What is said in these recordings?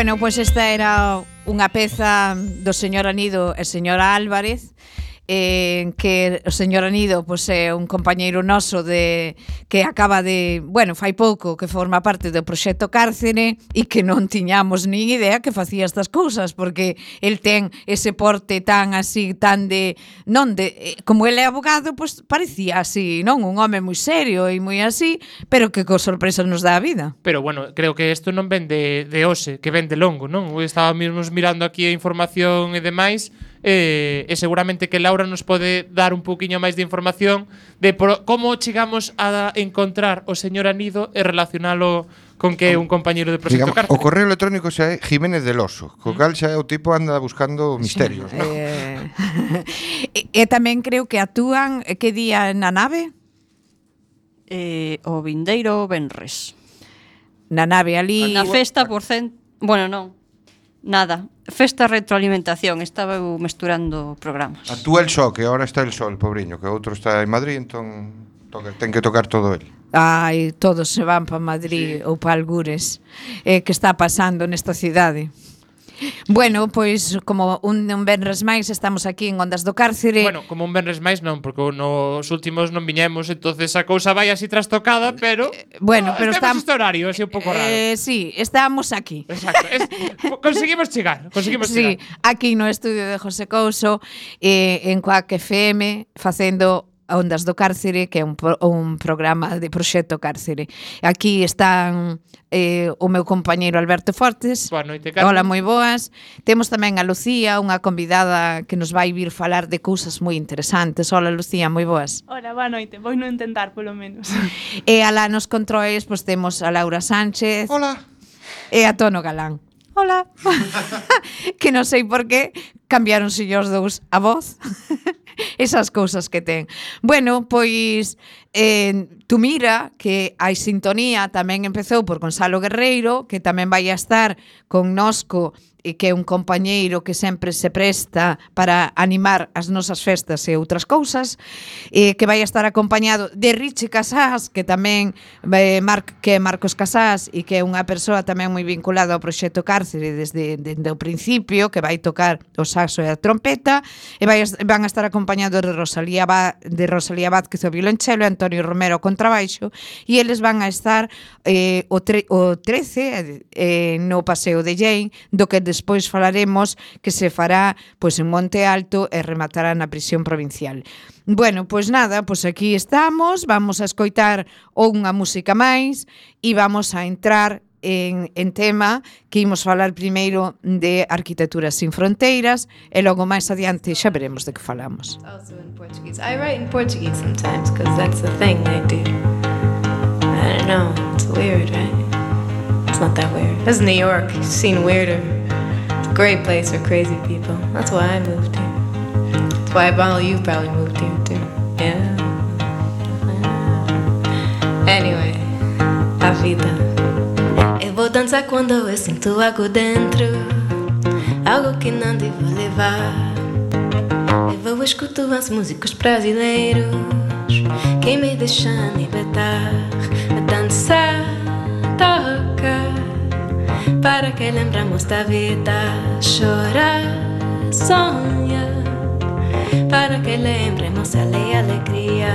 Bueno, pois esta era unha peza do señor Anido e señora Álvarez, que o señor Anido pois, é un compañeiro noso que acaba de, bueno, fai pouco que forma parte do proxecto Cárcere e que non tiñamos nin idea que facía estas cousas, porque el ten ese porte tan así, tan de, non de, como ele é abogado, pois parecía así, non? Un home moi serio e moi así, pero que co sorpresas nos dá a vida. Pero bueno, creo que isto non ven de hoxe, que ven de longo, non? Estábamos mirando aquí a información e demais, e seguramente que Laura nos pode dar un poquinho máis de información de como chegamos a encontrar o señor Anido e relacionalo con que é un compañeiro de Proxecto Cárcere. O correo electrónico xa é Jiménez del Oso, co cal xa é o tipo anda buscando misterios, non? E tamén creo que actúan que día na nave? O vindeiro venres. Na nave ali. Na festa bueno, non. Nada, festa retroalimentación. Estaba eu mesturando programas. Actúa el só, que ahora está el sol, pobriño, que outro está en Madrid, entón ten que tocar todo el. Ai, todos se van para Madrid, sí, ou para Algures. Que está pasando nesta cidade? Bueno, pois como un venres máis estamos aquí en Ondas do Cárcere. Bueno, como un venres máis non, porque nos últimos non viñemos, entonces a cousa vai así trastocada, pero bueno, pero estamos este horario, así un pouco raro. Sí, estamos aquí. Exacto. Conseguimos chegar. Sí, aquí no estudio de José Couso, en Coac FM, facendo Ondas do Cárcere, que é un programa de Proxecto Cárcere. Aquí están o meu compañeiro Alberto Fortes. Boa noite, Carmen. Hola, moi boas. Temos tamén a Lucía, unha convidada que nos vai vir falar de cousas moi interesantes. Hola, Lucía, moi boas. Hola, boa noite. Vou non intentar, polo menos. E alá nos controis, pois temos a Laura Sánchez. Hola. E a Tono Galán. Hola. Que non sei por qué cambiaronse os dous a voz. Esas cousas que ten. Bueno, pois tú mira que a sintonía tamén empezou por Gonzalo Guerreiro, que tamén vai a estar connosco e que é un compañeiro que sempre se presta para animar as nosas festas e outras cousas, que vai a estar acompañado de Richie Casás, que tamén que é Marcos Casás e que é unha persoa tamén moi vinculada ao Proxecto Cárcere desde o principio, que vai tocar o saxo e a trompeta, e van a estar acompañados de Rosalía Vázquez o violonchelo e Antonio Romero o contrabaixo, e eles van a estar o 13 no Paseo de Llein, do que despois falaremos, que se fará pois en Monte Alto e rematará na prisión provincial. Bueno, pois nada, pois aquí estamos, vamos a escoitar unha música máis e vamos a entrar en tema, que imos falar primeiro de Arquitectura sin Fronteiras e logo máis adiante xa veremos de que falamos. Also in Portuguese. I write in Portuguese sometimes because that's the thing I do. I don't know, it's weird, right? It's not that weird. This is New York, you've seen weirder. It's a great place for crazy people. That's why I moved here. That's why all you probably moved here too. Yeah. Anyway, a vida. Eu vou dançar quando eu sinto algo dentro, algo que não devo levar. Eu vou escutar os músicos brasileiros que me deixam libertar. A dançar, toca, para que lembramos da vida. Chorar, sonha, para que lembremos a alegria.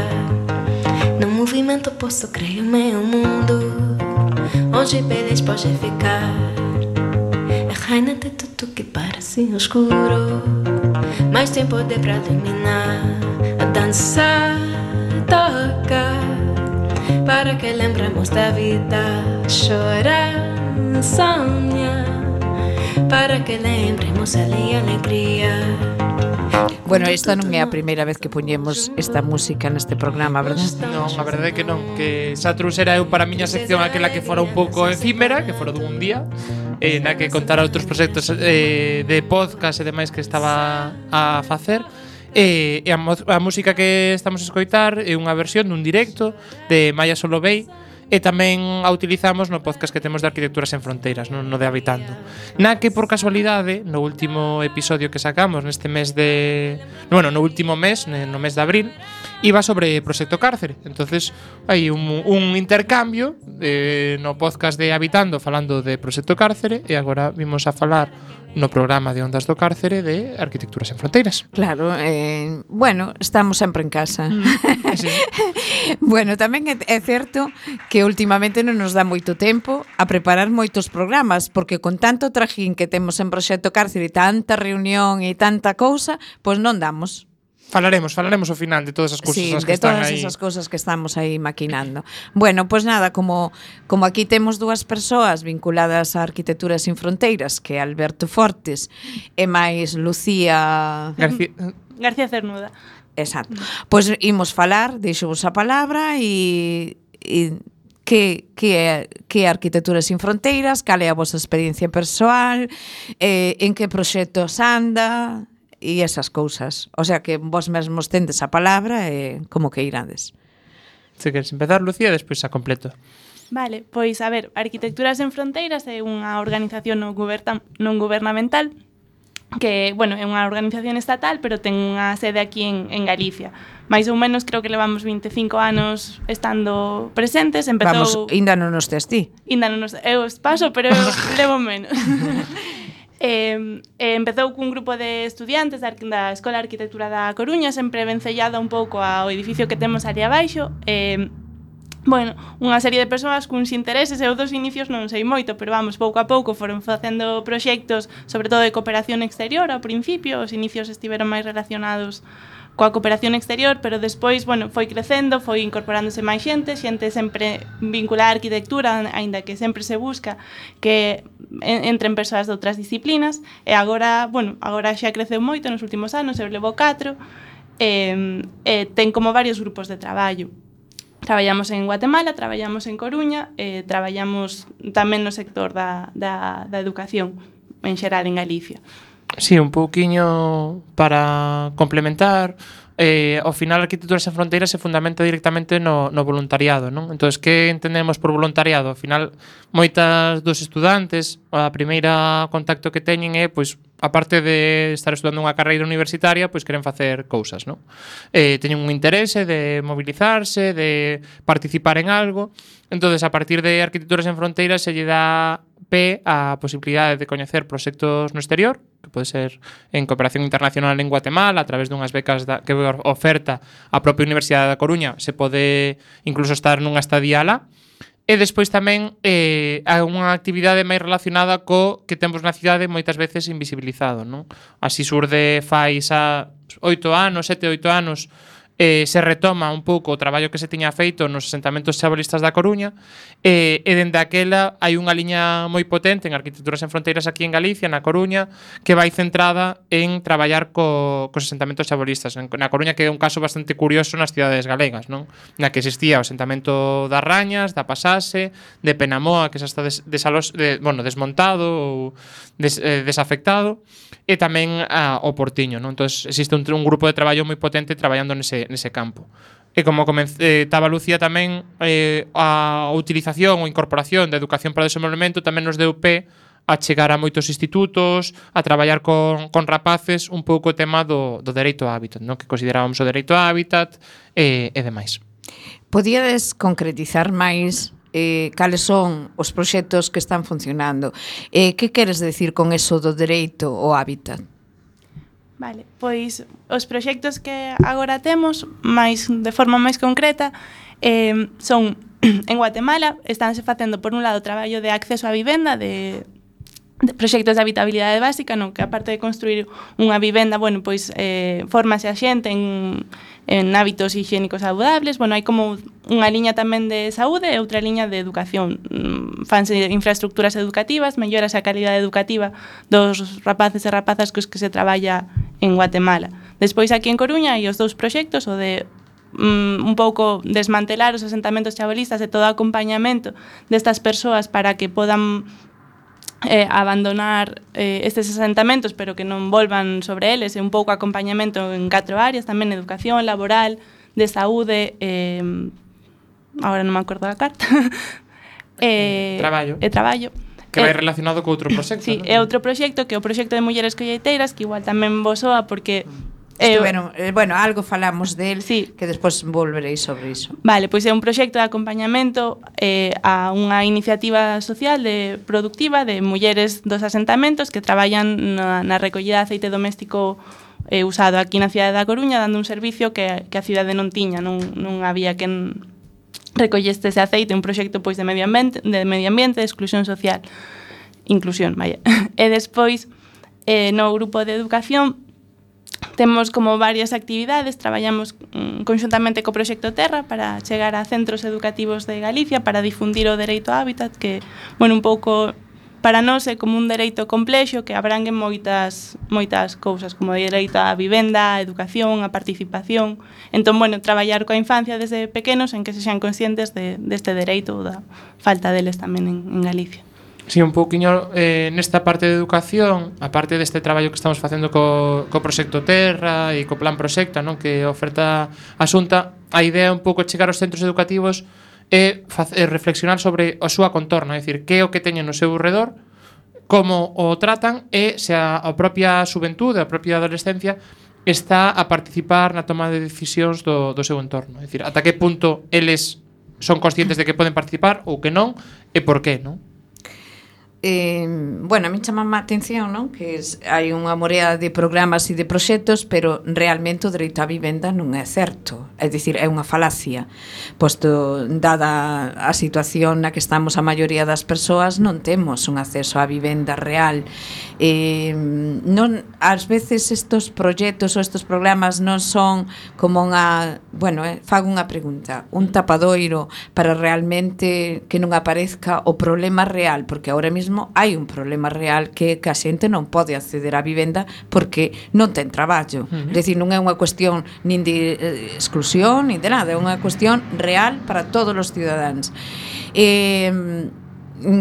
No movimento posso criar o meu mundo, onde beleza pode ficar. A rainha de tudo que parece escuro, mas tem poder pra iluminar. A dançar, toca, para que lembremos da vida. Chorar, sonha, para que lembremos a alegria. Bueno, esta non é a primeira vez que poñemos esta música neste programa, verdad? Non, a verdade é que non, que xa trouxera eu para a miña sección aquela que fora un pouco efímera, que fora dun día, na que contara outros proxectos de podcast e demais que estaba a facer. E a música que estamos a escoitar é unha versión dun directo de Maya Solovey, e tamén a utilizamos no podcast que temos de Arquitectura sen Fronteiras, no de Habitando. Na que, por casualidade, no último episodio que sacamos neste mes de... Bueno, no último mes, no mes de abril, iba sobre Proxecto Cárcere. Entonces hai un intercambio no podcast de Habitando falando de Proxecto Cárcere e agora vimos a falar no programa de Ondas do Cárcere de Arquitecturas en Fronteiras. Claro, bueno, estamos sempre en casa. Sí. Bueno, tamén é certo que últimamente non nos dá moito tempo a preparar moitos programas, porque con tanto trajín que temos en Proxecto Cárcere, tanta reunión e tanta cousa, pois non damos. Falaremos ao final de todas as cousas Sí, que de están todas aí. esas cousas que estamos aí maquinando. Bueno, pois nada, como aquí temos dúas persoas vinculadas a Arquitecturas sin Fronteiras, que é Alberto Fortes e máis Lucía García Cernuda. Exacto. Pois imos falar, deixo-vos a palabra e que é Arquitecturas sin Fronteiras, cal é a vosa experiencia persoal, en que proxectos anda e esas cousas. O sea que vos mesmos tendes a palabra e como que irades. Se queres empezar, Lucía, despois a completo. Vale, pois a ver, Arquitecturas en Fronteiras é unha organización non gubernamental que, bueno, é unha organización estatal, pero ten unha sede aquí en Galicia. Mais ou menos creo que levamos 25 anos estando presentes. Vamos, ainda non nos tes ti. Ainda non nos... Eu os paso, pero eu levo menos. Empezou cun grupo de estudiantes da Escola de Arquitectura da Coruña, sempre vencellada un pouco ao edificio que temos ali abaixo. Bueno, unha serie de persoas cuns intereses, eu dos inicios non sei moito, pero vamos, pouco a pouco foron facendo proxectos, sobre todo de cooperación exterior ao principio. Os inicios estiveron máis relacionados coa cooperación exterior, pero despois, bueno, foi crecendo, foi incorporándose máis xente sempre vinculada á arquitectura, aínda que sempre se busca que entren persoas de outras disciplinas, e agora, bueno, agora xa creceu moito nos últimos anos, eu levo 4, ten como varios grupos de traballo. Traballamos en Guatemala, traballamos en Coruña, traballamos tamén no sector da educación, en xeral en Galicia. Sí, un pouquiño para complementar. Ao final, Arquitecturas en Fronteiras se fundamenta directamente no voluntariado, non? Entón, que entendemos por voluntariado? Ao final, moitas dos estudantes, a primeira contacto que teñen é, pois, aparte de estar estudando unha carreira universitaria, pois queren facer cousas, non? Teñen un interese de mobilizarse, de participar en algo. Entón, a partir de Arquitecturas en Fronteiras se lle dá pé a posibilidade de coñecer proxectos no exterior, que pode ser en cooperación internacional en Guatemala, a través dunhas becas que oferta a propia Universidade da Coruña, se pode incluso estar nunha estadía alá. E despois tamén hai unha actividade máis relacionada co que temos na cidade moitas veces invisibilizado, non? Así surde fai xa 8 anos, 7, 8 anos, se retoma un pouco o traballo que se tiña feito nos asentamentos chabolistas da Coruña, e dende aquela hai unha liña moi potente en Arquitecturas en Fronteiras aquí en Galicia, na Coruña, que vai centrada en traballar cos asentamentos chabolistas. Na Coruña, que é un caso bastante curioso nas cidades galegas, non? Na que existía o asentamento das Rañas, da Pasase, de Penamoa, que xa está desmontado ou desafectado, e tamén o Portiño, non? Entón, existe un grupo de traballo moi potente traballando nese campo. E como estaba Lucía tamén, a utilización ou incorporación da educación para o desenvolvemento tamén nos deu pé a chegar a moitos institutos, a traballar con rapaces un pouco o tema do dereito ao hábitat, non? Que considerábamos o dereito ao hábitat e demais. Podíades concretizar máis cales son os proxectos que están funcionando? Que queres decir con eso do dereito ao hábitat? Vale, pois os proxectos que agora temos de forma máis concreta son en Guatemala. Estánse facendo por un lado traballo de acceso á vivenda, de proxectos de habitabilidade básica, no que aparte de construir unha vivenda, bueno, pois fórmase a xente en hábitos higiénicos saludables. Bueno, hai como unha liña tamén de saúde e outra liña de educación. Fanse infraestructuras educativas, mellorase a calidade educativa dos rapaces e rapazas cos que se traballa en Guatemala. Despois aquí en Coruña hai os dous proxectos, o de un pouco desmantelar os asentamentos chabolistas e todo o acompañamento destas persoas para que podan abandonar estes asentamentos, pero que non volvan sobre eles, e un pouco acompañamento en 4 áreas, tamén educación, laboral, de saúde, agora non me acordo da carta, traballo. Que vai relacionado co outro proxecto, sí, non? É outro proxecto, que é o proxecto de mulleres colleiteiras, que igual tamén vos soa porque Estiveron, bueno, algo falamos del, Sí. que despois volveréis sobre iso. Vale, pois é un proxecto de acompañamento a unha iniciativa social productiva de mulleres dos asentamentos que traballan na recollida de aceite doméstico usado aquí na cidade da Coruña, dando un servicio que a cidade non tiña, non había quen recolleste ese aceite, un proxecto pois de medio ambiente, de exclusión social, inclusión, vaya. E despois, no grupo de educación, temos como varias actividades, traballamos conxuntamente co Proxecto Terra para chegar a centros educativos de Galicia para difundir o dereito ao hábitat, que, bueno, un pouco para nós é como un dereito complexo que abrangue moitas cousas, como o dereito á vivenda, á educación, á participación. Entón, bueno, traballar coa infancia desde pequenos en que se xan conscientes deste dereito ou da falta deles tamén en Galicia. Sí, un pouquiño nesta parte de educación, a parte deste traballo que estamos facendo co Proxecto Terra e co Plan Proxecta, non, que oferta a Xunta, a idea é un pouco chegar aos centros educativos e reflexionar sobre a súa contorna, é dicir, que é o que teñen no seu redor, como o tratan e se a propia xuventude, a propia adolescencia está a participar na toma de decisións do seu entorno, é dicir, ata que punto eles son conscientes de que poden participar ou que non e por qué, non? Bueno, a mí chamame a atención, non? Que hai unha morea de programas e de proxectos, pero realmente o dereito á vivenda non é certo. É dicir, é unha falacia. Posto, dada a situación na que estamos a maioría das persoas, non temos un acceso á vivenda real. Non, ás veces estos proxectos ou estos programas non son como unha... Bueno, fago unha pregunta. Un tapadoiro para realmente que non aparezca o problema real, porque ahora mesmo hai un problema real que a xente non pode acceder á vivenda porque non ten traballo. É dicir, non é unha cuestión nin de exclusión, nin de nada, é unha cuestión real para todos os cidadáns.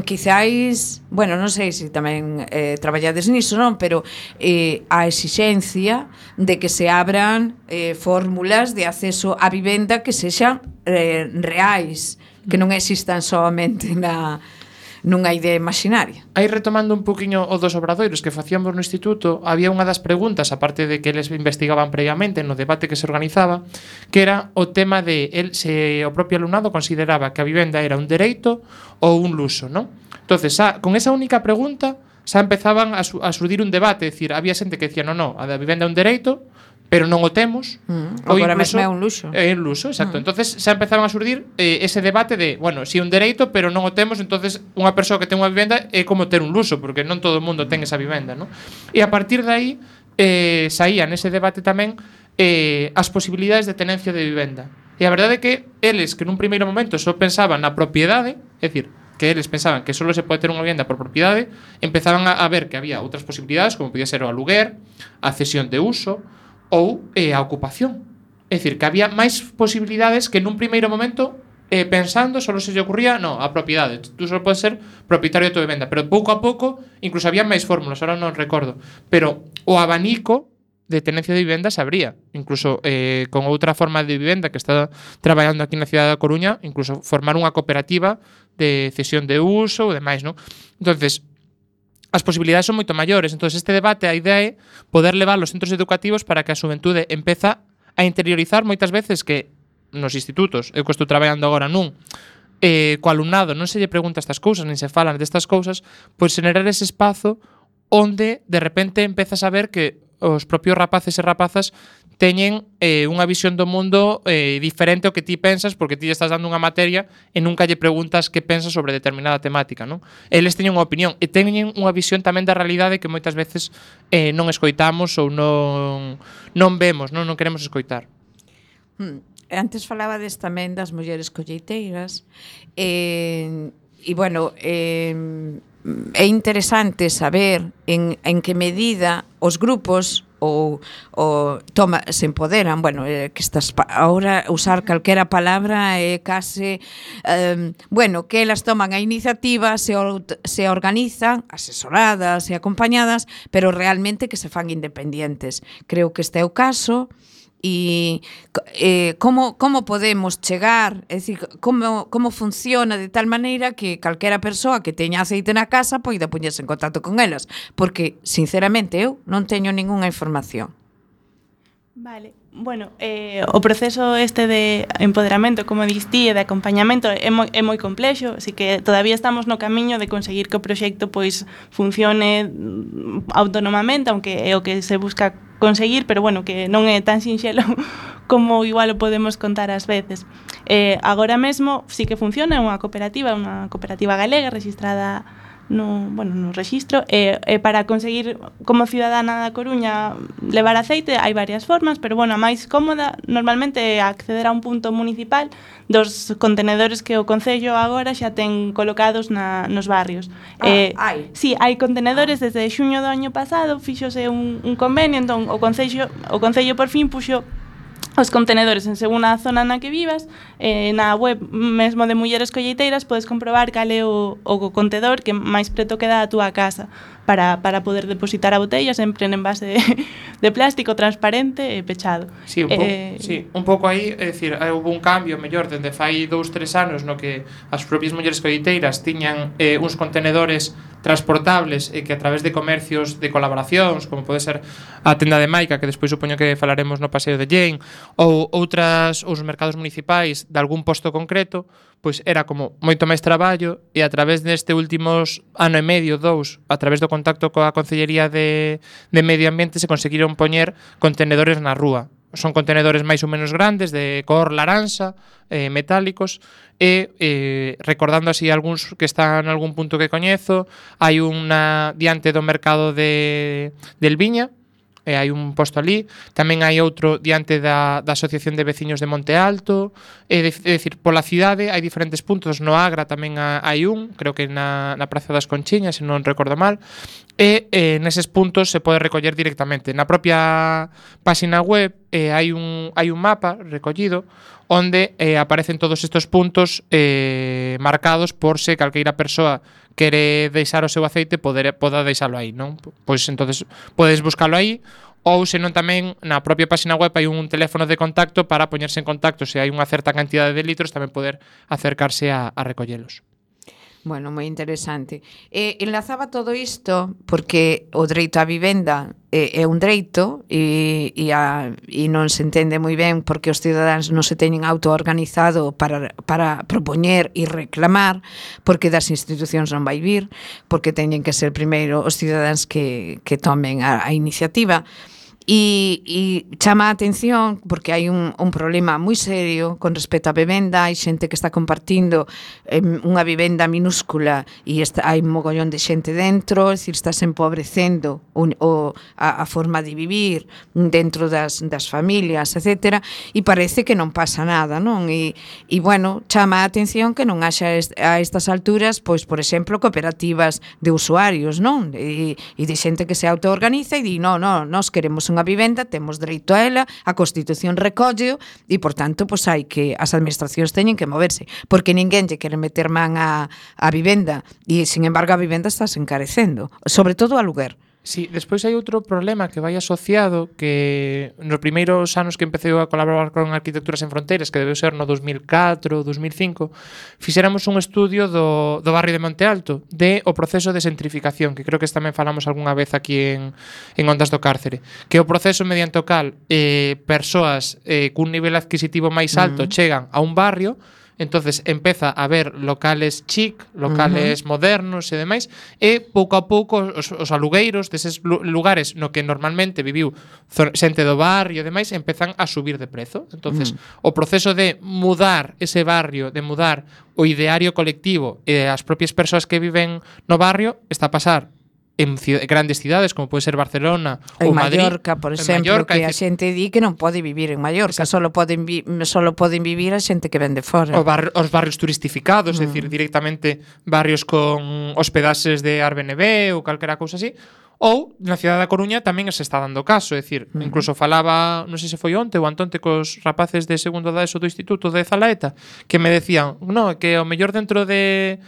Quizáis, bueno, non sei se tamén traballades niso, non, pero a exixencia de que se abran fórmulas de acceso á vivenda que sexan reais, que non existan solamente nunha idea imaginaria. Aí retomando un poquinho o dos obradoiros que facíamos no instituto, había unha das preguntas, aparte de que eles investigaban previamente no debate que se organizaba, que era o tema de se o propio alumnado consideraba que a vivenda era un dereito ou un luxo, non? Entonces, con esa única pregunta, xa empezaban a surdir un debate, é dicir, había xente que decía, non, a da vivenda é un dereito, pero non o temos. Agora mesmo é un luxo. É un luxo, exacto. Entonces xa empezaban a surdir ese debate de, bueno, si é un dereito, pero non o temos, entonces unha persoa que ten unha vivenda é como ter un luxo, porque non todo o mundo ten esa vivenda, non? E a partir de aí saía nese debate tamén as posibilidades de tenencia de vivenda. E a verdade é que eles, que nun primeiro momento só pensaban na propiedade, é dicir, que eles pensaban que só se pode ter unha vivenda por propiedade, empezaban a ver que había outras posibilidades, como podía ser o aluguer, a cesión de uso ou a ocupación. É dicir, que había máis posibilidades que nun primeiro momento pensando, só se lle ocurría, no, a propiedade. Tú só podes ser propietario de tua vivenda, pero pouco a pouco incluso había máis fórmulas, ahora non recordo, pero o abanico de tenencia de vivenda se abría, incluso con outra forma de vivenda que está traballando aquí na cidade da Coruña, incluso formar unha cooperativa de cesión de uso ou demais, non? Entonces, as posibilidades son moito maiores. Entón, este debate, a idea é poder levar aos centros educativos para que a xuventude empeza a interiorizar moitas veces que nos institutos, eu que estou traballando agora nun, co alumnado non se lle pregunta estas cousas, nin se falan destas cousas, pois generar ese espazo onde de repente empezas a ver que os propios rapaces e rapazas teñen unha visión do mundo diferente ao que ti pensas, porque ti estás dando unha materia e nunca lle preguntas que pensas sobre determinada temática, non? Eles teñen unha opinión e teñen unha visión tamén da realidade que moitas veces non escoitamos ou non vemos, non queremos escoitar. Antes falabades tamén das mulleres colleiteiras e bueno, é interesante saber en que medida os grupos se empoderan, bueno, que estas ahora usar calquera palabra é case bueno, que elas toman a iniciativa, se organizan, asesoradas e acompañadas, pero realmente que se fan independientes. Creo que este é o caso. E como podemos chegar, é dicir, como funciona de tal maneira que calquera persoa que teña aceite na casa poida poñerse en contacto con elas, porque sinceramente eu non teño ningunha información. Vale, bueno, o proceso este de empoderamento, como dis ti, e de acompañamento é moi complexo, así que todavía estamos no camiño de conseguir que o proxecto pois funcione autónomamente, aunque é o que se busca conseguir, pero bueno, que non é tan sinxelo como igual o podemos contar ás veces. Agora mesmo sí que funciona, é unha cooperativa galega registrada no rexistro, para conseguir como cidadana da Coruña levar aceite hai varias formas, pero bueno, a máis cómoda normalmente é acceder a un punto municipal dos contenedores que o Concello agora xa ten colocados nos barrios. Hai? Sí, hai contenedores desde xuño do año pasado, fíxose un convenio, entón o Concello por fin puxo os contenedores en según a zona na que vivas. Na web mesmo de Mulleres Colleiteiras podes comprobar cal é o contedor que máis preto queda a túa casa para poder depositar a botella sempre en envase de plástico transparente e pechado. Sí, un pouco aí, é dicir, houve un cambio mellor dende fai 2-3 anos no que as propias mulleres colleiteiras tiñan uns contenedores transportables e que a través de comercios de colaboracións, como pode ser a tenda de Maica, que despois supoño que falaremos no Paseo de Llein, ou os mercados municipais de algún posto concreto, pois era como moito máis traballo, e a través deste últimos ano e medio, 2, a través do contacto coa Concellería de Medio Ambiente se conseguiron poñer contenedores na rúa. Son contenedores máis ou menos grandes, de cor laranxa, metálicos, e recordando así algúns que están en algún punto que coñezo, hai unha diante do mercado de Elviña, hai un posto ali, tamén hai outro diante da Asociación de Veciños de Monte Alto, é dicir, pola cidade hai diferentes puntos, no Agra tamén hai un, creo que na Praza das Conchiñas, se non recordo mal, e neses puntos se pode recoller directamente. Na propia página web hai un mapa recollido onde aparecen todos estes puntos marcados por se calqueira persoa quere deixar o seu aceite poda deixalo aí, non? Pois entonces podes buscalo aí, ou senón tamén na propia página web hai un teléfono de contacto para poñerse en contacto se hai unha certa cantidade de litros tamén poder acercarse a recollelos. Bueno, moi interesante. Enlazaba todo isto porque o dereito á vivenda é un dereito e non se entende moi ben porque os cidadáns non se teñen autoorganizado para propoñer e reclamar, porque das institucións non vai vir, porque teñen que ser primeiro os cidadáns que tomen a iniciativa. E chama a atención porque hai un problema moi serio con respecto á vivenda. Hai xente que está compartindo unha vivenda minúscula e hai un mogollón de xente dentro, é dicir, estás empobrecendo a forma de vivir dentro das familias, etc. E parece que non pasa nada, non? E bueno, chama a atención que non haxa a estas alturas, pois, por exemplo, cooperativas de usuarios, non? E de xente que se autoorganiza e di, non, nós queremos unha vivenda, temos dereito a ela, a Constitución recolleo e, por tanto, pois hai que as administracións teñen que moverse, porque ninguén lle quere meter man a vivenda e, sin embargo, a vivenda está se encarecendo, sobre todo o aluguer. Sí, despois hai outro problema que vai asociado que nos primeiros anos que empecé a colaborar con Arquitecturas Sen Fronteiras, que debeu ser no 2004, 2005, fixéramos un estudio do barrio de Monte Alto de o proceso de centrificación, que creo que tamén falamos algunha vez aquí en Ondas do Cárcere, que é o proceso mediante o cal persoas cun nivel adquisitivo máis alto chegan a un barrio. Entonces empeza a haber locales chic, locales modernos e demais, e pouco a pouco os alugueiros deses lugares no que normalmente viviu xente do barrio e demais empezan a subir de prezo. Entonces o proceso de mudar ese barrio, de mudar o ideario colectivo e as propias persoas que viven no barrio está a pasar en grandes cidades como pode ser Barcelona ou Madrid, Mallorca, por exemplo, que a xente di que non pode vivir en Mallorca, solo poden vivir a xente que ven de fora. Os barrios turistificados, é dicir, directamente barrios con hospedaxes de Airbnb ou calquera cousa así. Ou na cidade da Coruña tamén se está dando caso, é dicir, incluso falaba, non sei se foi onte ou antonte cos rapaces de segundo da ESO do Instituto de Zalaeta, que me decían, que o mellor dentro de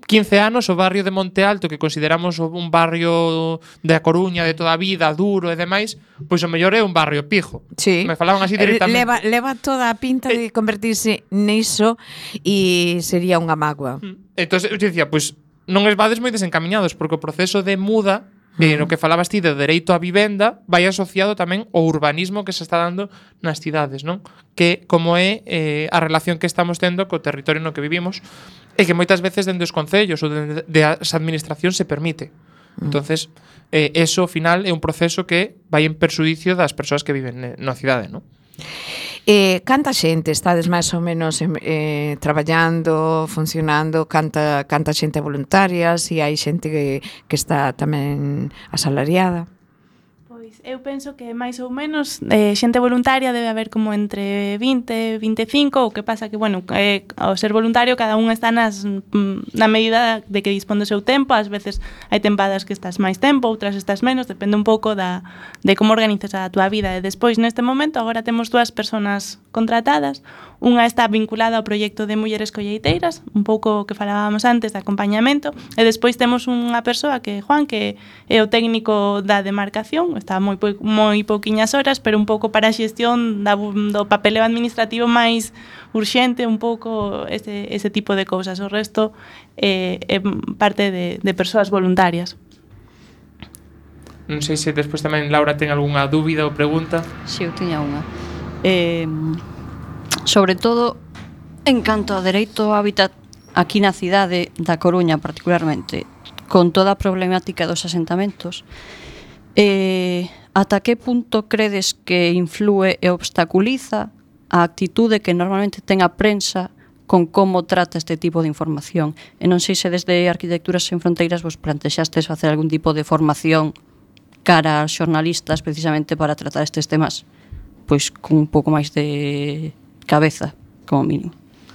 15 anos o barrio de Monte Alto, que consideramos un barrio da Coruña de toda a vida, duro e demais, pois o mellor é un barrio pijo. Sí. Me falaban así directamente. Leva toda a pinta de convertirse niso e sería unha mágoa. Entón, eu dicía, pois non es vades moi desencamiñados, porque o proceso de muda No que falabas ti do dereito á vivenda, vai asociado tamén ao urbanismo que se está dando nas cidades, non? Que como é a relación que estamos tendo co territorio no que vivimos e que moitas veces dende os concellos ou dende as administracións se permite. Entonces, eso ao final é un proceso que vai en perxudicio das persoas que viven na cidade, non? Canta xente estades máis ou menos traballando, funcionando, canta xente voluntaria, se hai xente que está tamén asalariada? Pois eu penso que máis ou menos xente voluntaria debe haber como entre 20 e 25, o que pasa que, bueno, ao ser voluntario cada un está na medida de que dispón do seu tempo, ás veces hai tempadas que estás máis tempo, outras estás menos, depende un pouco de como organizas a túa vida. E despois, neste momento, agora temos 2 persoas contratadas, unha está vinculada ao proxecto de Mulleres Colleiteiras, un pouco o que falábamos antes de acompañamento, e despois temos unha persoa que é Juan, que é o técnico da demarcación, está moi pouquiñas horas, pero un pouco para a xestión do papeleo administrativo máis urxente, un pouco ese tipo de cousas. O resto é parte de persoas voluntarias. Non sei se despois tamén Laura ten algunha dúbida ou pregunta. Si, eu tiña unha. Sobre todo, en canto ao dereito ao hábitat aquí na cidade da Coruña particularmente, con toda a problemática dos asentamentos, ata que punto credes que influe e obstaculiza a actitude que normalmente ten a prensa con como trata este tipo de información? E non sei se desde Arquitecturas Sen Fronteiras vos plantexastes facer algún tipo de formación cara aos xornalistas precisamente para tratar estes temas pois con un pouco máis de cabeza, como mínimo.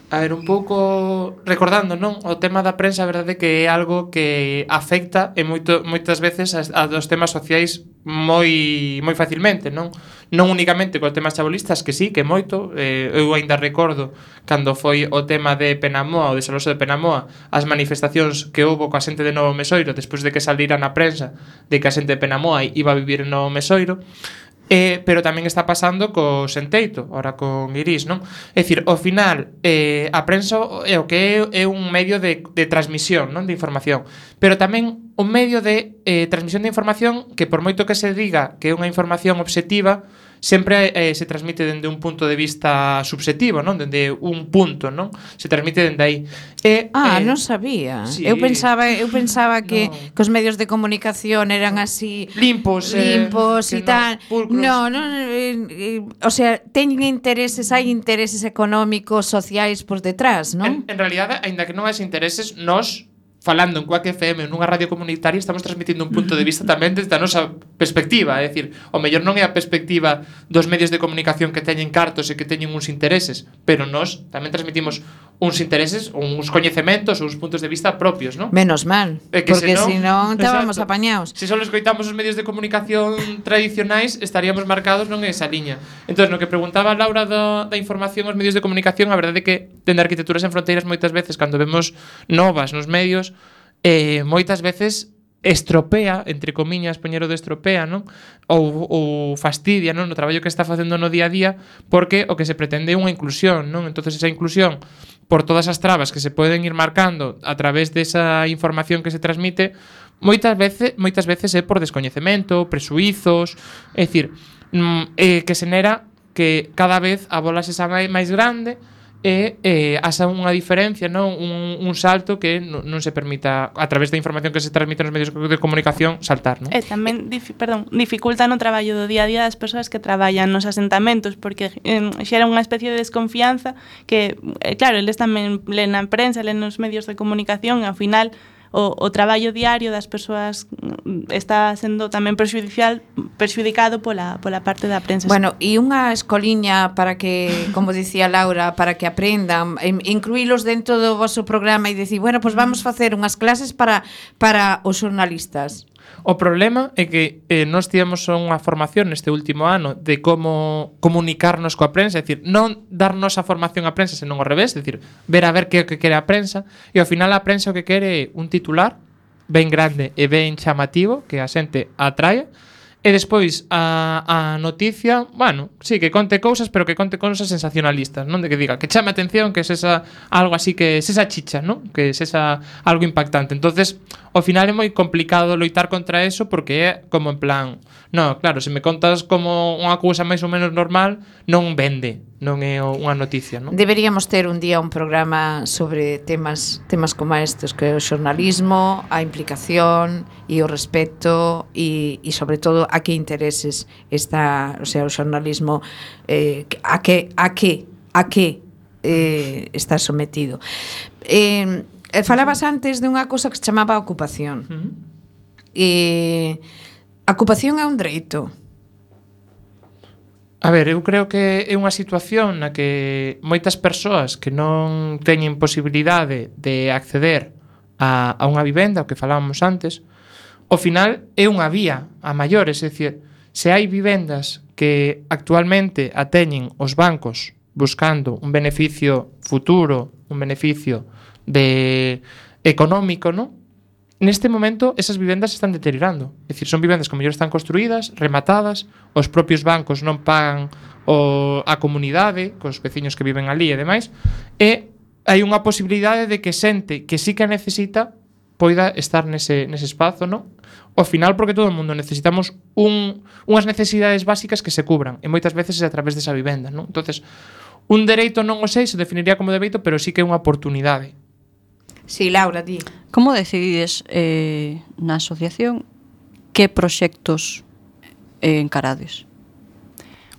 A ver, un pouco recordando, non? O tema da prensa, a verdade que é algo que afecta e moitas veces a dos temas sociais moi facilmente, non? Non únicamente cos temas chabolistas, que sí, que moito. Eu ainda recordo cando foi o tema de Penamoa, o desaloxo de Penamoa, as manifestacións que houbo coa xente de Novo Mesoiro despois de que salira na prensa de que a xente de Penamoa iba a vivir en Novo Mesoiro. Pero tamén está pasando co Senteito, ora con Iris, non? É dicir, ao final, a prensa é o que é un medio de transmisión, non? De información, pero tamén un medio de transmisión de información que por moito que se diga que é unha información obxectiva, sempre se transmite dende un punto de vista subxectivo, non? Dende un punto, non? Se transmite dende aí. Non sabía. Sí. Eu pensaba que os medios de comunicación eran así limpos e tal. Pulcros. O sea, teñen intereses, hai intereses económicos, sociais por detrás, non? En realidade, aínda que non hai intereses, nós falando en Quack FM nunha radio comunitaria estamos transmitindo un punto de vista tamén desde a nosa perspectiva, é dicir, o mellor non é a perspectiva dos medios de comunicación que teñen cartos e que teñen uns intereses, pero nós tamén transmitimos uns intereses, uns coñecementos, uns puntos de vista propios, non? Menos mal, porque senón estábamos apañados. Se só escoitamos os medios de comunicación tradicionais, estaríamos marcados non en esa liña. Entón, no que preguntaba Laura da información aos medios de comunicación, a verdade é que dende Arquitecturas Sen Fronteiras moitas veces cando vemos novas nos medios, moitas veces estropea, entre comiñas, poñero de estropea, non? Ou fastidia, non? No traballo que está facendo no día a día, porque o que se pretende é unha inclusión, non? Entonces esa inclusión, por todas as trabas que se poden ir marcando a través desa información que se transmite, moitas veces é por descoñecemento, presuizos, é dicir, que se nera que cada vez a bola se xa máis grande e haxa unha diferencia, non? Un salto que non se permita a través da información que se transmite nos medios de comunicación saltar, non? E tamén dificulta no traballo do día a día das persoas que traballan nos asentamentos, porque xera unha especie de desconfianza que, claro, eles tamén len na prensa, len nos medios de comunicación e ao final o traballo diario das persoas está sendo tamén perxudicado pola parte da prensa. Bueno, e unha escoliña para que, como dicía Laura, para que aprendan, incluílos dentro do vosso programa e dicir, bueno, pues vamos facer unhas clases para os xornalistas. O problema é que nós tivemos unha formación neste último ano de como comunicarnos coa prensa, é dicir, non darnos a formación á prensa, senón ao revés, é dicir, ver que é o que quere a prensa, e ao final a prensa o que quere é un titular ben grande e ben chamativo, que a xente atraia, E despois a noticia, bueno, sí, que conte cousas, pero que conte cousas sensacionalistas, non de que diga, que chame a atención, que sesa algo así, que sesa chicha, non? Que sesa algo impactante. Entonces, ao final é moi complicado loitar contra eso porque é como en plan, no, claro, se me contas como unha cousa máis ou menos normal, non vende, non é unha noticia, non? Deberíamos ter un día un programa sobre temas como estes, que é o xornalismo, a implicación e o respeto e sobre todo a que intereses está, o sea, o xornalismo a que está sometido. Falabas antes de unha cousa que se chamaba ocupación. A ocupación é un dereito. A ver, eu creo que é unha situación na que moitas persoas que non teñen posibilidade de acceder a unha vivenda, o que falábamos antes, ao final é unha vía a maiores, é dicir, se hai vivendas que actualmente a teñen os bancos buscando un beneficio futuro, un beneficio económico, ¿no? Neste momento esas vivendas se están deteriorando. É dicir, son vivendas que mellor están construídas, rematadas, os propios bancos non pagan a comunidade, cos veciños que viven ali e demais, e hai unha posibilidade de que xente que sí que necesita poida estar nese espazo, non? Ao final, porque todo o mundo necesitamos unhas necesidades básicas que se cubran, e moitas veces é a través desa vivenda, non? Entonces, un dereito non o sei, se definiría como dereito, pero sí que é unha oportunidade. Sí, Laura, di. Como decidides na asociación que proxectos encarades?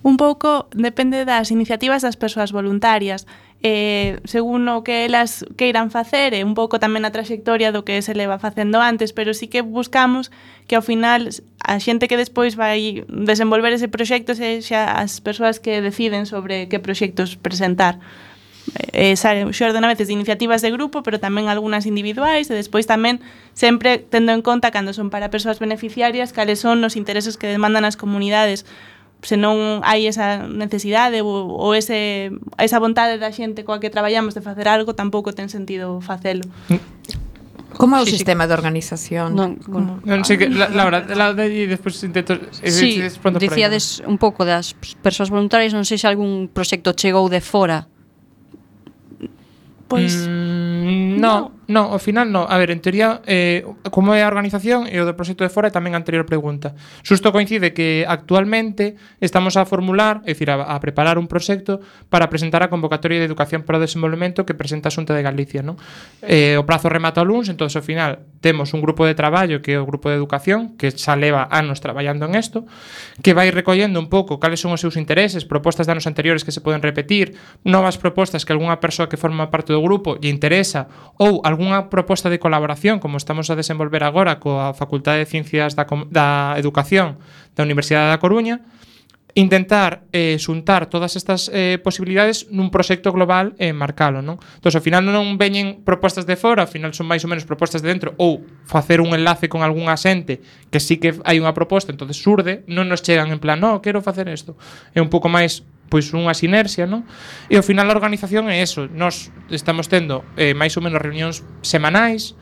Un pouco depende das iniciativas das persoas voluntarias. Según o que elas queiran facer, e un pouco tamén a traxectoria do que se leva facendo antes, pero sí que buscamos que ao final a xente que despois vai desenvolver ese proxecto sexa as persoas que deciden sobre que proxectos presentar. Xorden a veces de iniciativas de grupo, pero tamén algunhas individuais, e despois tamén sempre tendo en conta cando son para persoas beneficiarias cales son os intereses que demandan as comunidades. Se non hai esa necesidade ou esa vontade da xente coa que traballamos de facer algo, tampouco ten sentido facelo. Como é o sistema de organización? Non sei que, Laura, e despois intento... Sí, dicíades un pouco das persoas voluntarias, non sei se algún proxecto chegou de fora. Pois no, ao final no. A ver, en teoría, como é a organización e o do proxecto de fora é tamén a anterior pregunta. Xusto coincide que actualmente estamos a formular, é dicir, a preparar un proxecto para presentar a convocatoria de educación para o desenvolvemento que presenta a Xunta de Galicia, non? O prazo remata o luns, entón ao final temos un grupo de traballo que é o grupo de educación que xa leva anos traballando en isto, que vai recollendo un pouco cales son os seus intereses, propostas de anos anteriores que se poden repetir, novas propostas que algunha persoa que forma parte do grupo lle interesa, ou algunha proposta de colaboración como estamos a desenvolver agora coa Facultade de Ciencias da Educación da Universidade da Coruña, intentar xuntar todas estas posibilidades nun proxecto global e marcalo, non? Entón, ao final non veñen propostas de fora, ao final son máis ou menos propostas de dentro, ou facer un enlace con algunha xente que sí que hai unha proposta, entonces surde, non nos chegan en plan, no, quero facer isto. É un pouco máis pois unha sinerxia, non? E ao final a organización é eso. Nós estamos tendo máis ou menos reunións semanais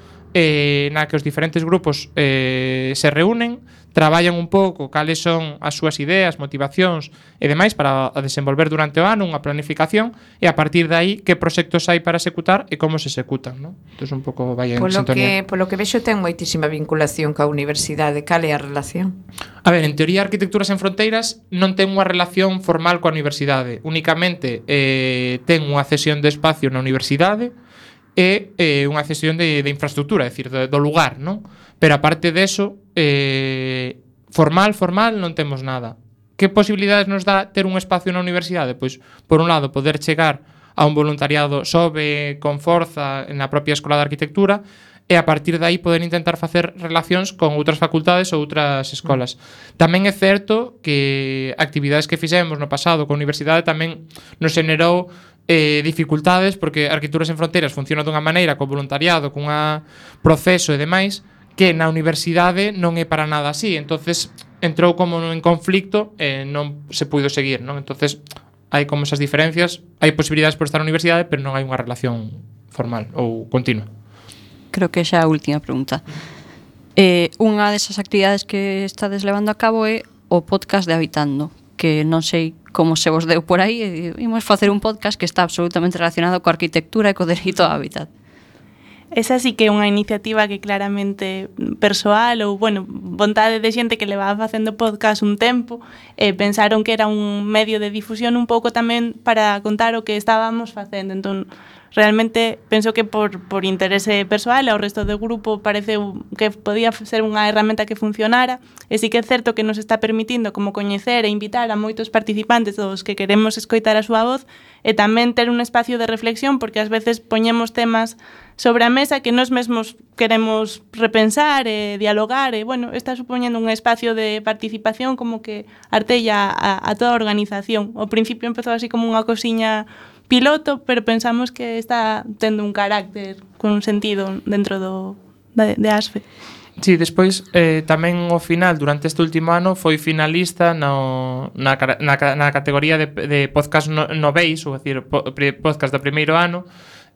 na que os diferentes grupos se reúnen, traballan un pouco cales son as súas ideas, motivacións e demais para desenvolver durante o ano unha planificación e a partir de aí que proxectos hai para executar e como se executan, non? Entón un pouco vai en sintonía. Polo que vexo ten moitísima vinculación coa universidade. Cal é a relación? A ver, en teoría Arquitecturas Sen Fronteiras non ten unha relación formal coa universidade, únicamente ten unha cesión de espacio na universidade e unha cesión de infraestructura, é dicir, do lugar, non? Pero aparte deso, formal non temos nada. Que posibilidades nos dá ter un espacio na universidade? Pois, por un lado, poder chegar a un voluntariado sobe con forza na propia Escola de Arquitectura e a partir de aí poder intentar facer relacións con outras facultades ou outras escolas. Tamén é certo que actividades que fixemos no pasado con a universidade tamén nos generou dificultades porque Arquitecturas Sen Fronteiras funciona dunha maneira co voluntariado, cun proceso e demais que na universidade non é para nada así, entonces entrou como en conflicto e non se puido seguir, non? Entonces hai como esas diferencias, hai posibilidades por estar na universidade, pero non hai unha relación formal ou continua. Creo que xa a última pregunta. Unha desas actividades que estades levando a cabo é o podcast de Habitando, que non sei como se vos deu por aí, e imos facer un podcast que está absolutamente relacionado coa arquitectura e co dereito ao hábitat. Esa sí que é unha iniciativa que claramente persoal ou, bueno, vontade de xente que levaba facendo podcast un tempo, pensaron que era un medio de difusión un pouco tamén para contar o que estábamos facendo. Entón, realmente penso que por interese persoal ao resto do grupo parece que podía ser unha herramienta que funcionara, e sí que é certo que nos está permitindo como coñecer e invitar a moitos participantes dos que queremos escoitar a súa voz, e tamén ter un espacio de reflexión, porque ás veces poñemos temas sobre a mesa que nós mesmos queremos repensar e dialogar, e, bueno, está supoñendo un espacio de participación como que artella a toda a organización. Ao principio empezou así como unha cosiña piloto, pero pensamos que está tendo un carácter con un sentido dentro de ASFE. Sí, despois tamén ao final, durante este último ano, foi finalista na categoría de podcast noveis, ou decir, podcast do primeiro ano,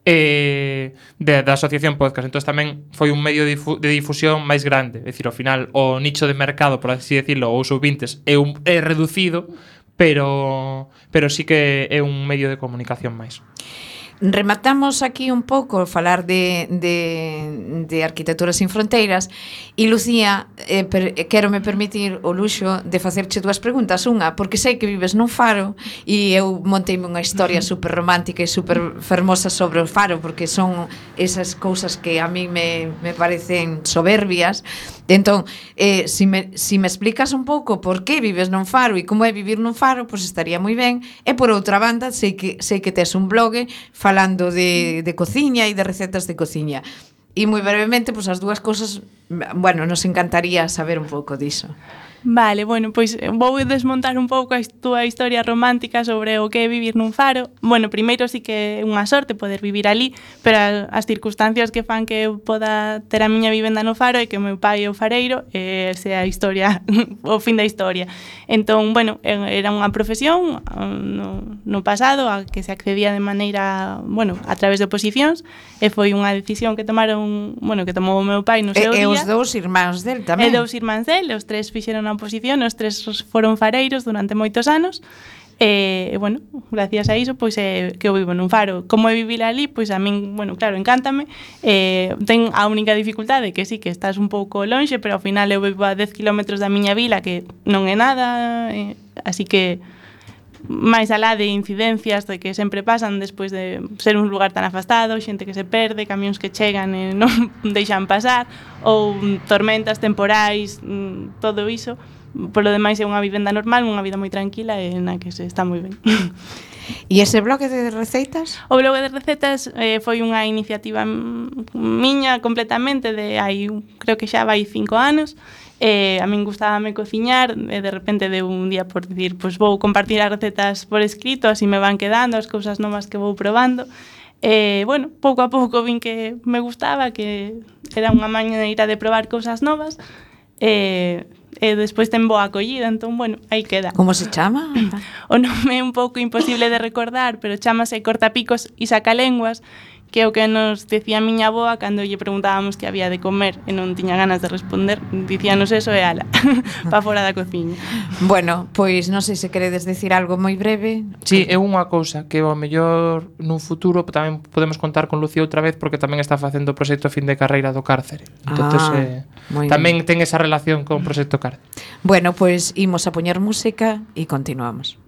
da Asociación Podcast. Entón tamén foi un medio de difusión máis grande. É dicir, ao final o nicho de mercado, por así decirlo, ou os ouvintes é reducido, pero sí que é un medio de comunicación máis. Rematamos aquí un pouco falar de Arquitectura Sin Fronteiras, e Lucía, quero me permitir o luxo de facerche dúas preguntas. Unha, porque sei que vives nun faro e eu monteime unha historia super romántica e super fermosa sobre o faro, porque son esas cousas que a mí me parecen soberbias. Entón, si me explicas un pouco por que vives nun faro e como é vivir nun faro, pois estaría moi ben. E por outra banda, sei que tes un blog falando de cociña e de recetas de cociña. E moi brevemente, pois as dúas cousas, bueno, nos encantaría saber un pouco diso. Vale, bueno, pois vou desmontar un pouco a túa historia romántica sobre o que é vivir nun faro. Bueno, primeiro sí que é unha sorte poder vivir ali, pero as circunstancias que fan que eu poda ter a miña vivenda no faro é que o meu pai é o fareiro, e esa é a historia, o fin da historia. Entón, bueno, era unha profesión no pasado a que se accedía de maneira, bueno, a través de oposicións, e foi unha decisión que tomaron, bueno, que tomou o meu pai no seu día. E os dous irmáns del tamén. E dous irmáns del, os tres fixeron a oposición, os tres foron fareiros durante moitos anos, e, bueno, gracias a iso, pois que eu vivo nun faro. Como é vivir ali, pois a min, bueno, claro, encántame. Ten a única dificultade que sí, que estás un pouco lonxe, pero ao final eu vivo a 10 km da miña vila, que non é nada, así que máis alá de incidencias de que sempre pasan despois de ser un lugar tan afastado, xente que se perde, camións que chegan e non deixan pasar, ou tormentas temporais, todo iso. Por lo demais é unha vivenda normal, unha vida moi tranquila e na que se está moi ben. E ese blog de receitas? O blog de recetas foi unha iniciativa miña completamente de hai, creo que xa vai 5 anos. A min gustábame cociñar, e de repente de un día por dicir, pois vou compartir as recetas por escrito, así me van quedando as cousas novas que vou probando. Bueno, pouco a pouco vin que me gustaba, que era unha maneira de probar cousas novas, e despois ten boa acollida, entón, bueno, aí queda. Como se chama? O nome é un pouco imposible de recordar, pero chámase Cortapicos e Sacalenguas, que é o que nos decía a miña avoa cando lle preguntábamos que había de comer e non tiña ganas de responder. Dicíanos eso e ala, pa fora da cociña. Bueno, pois non sei se queredes decir algo moi breve. Sí, é unha cousa que ao mellor nun futuro tamén podemos contar con Lucía outra vez, porque tamén está facendo o proxecto fin de carreira do cárcere. Entonces, tamén ten esa relación con o proxecto cárcere. Bueno, pois imos a poñer música e continuamos.